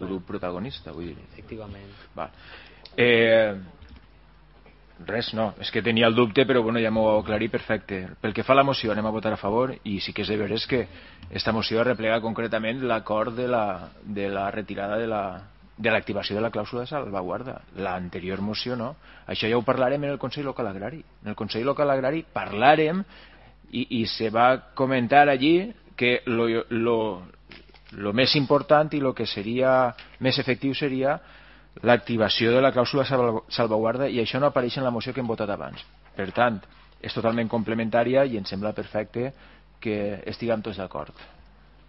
grup protagonista, vull dir. Efectivament. Res, no, és que tenia el dubte, però bueno, ja m'ho heu aclarit perfecte. Pel que fa a la moció, anem a votar a favor, i sí que és de veres que esta moció replega concretament l'acord de la retirada de l'activació de la clàusula de salvaguarda. L'anterior moció no. Això ja ho parlarem en el Consell Local Agrari. En el Consell Local Agrari parlarem i se va comentar allí que lo més important i lo que seria més efectiu seria l'activació de la clàusula salvaguarda, i això no apareix en la moció que hem votat abans. Per tant, és totalment complementària i em sembla perfecte que estiguem tots d'acord.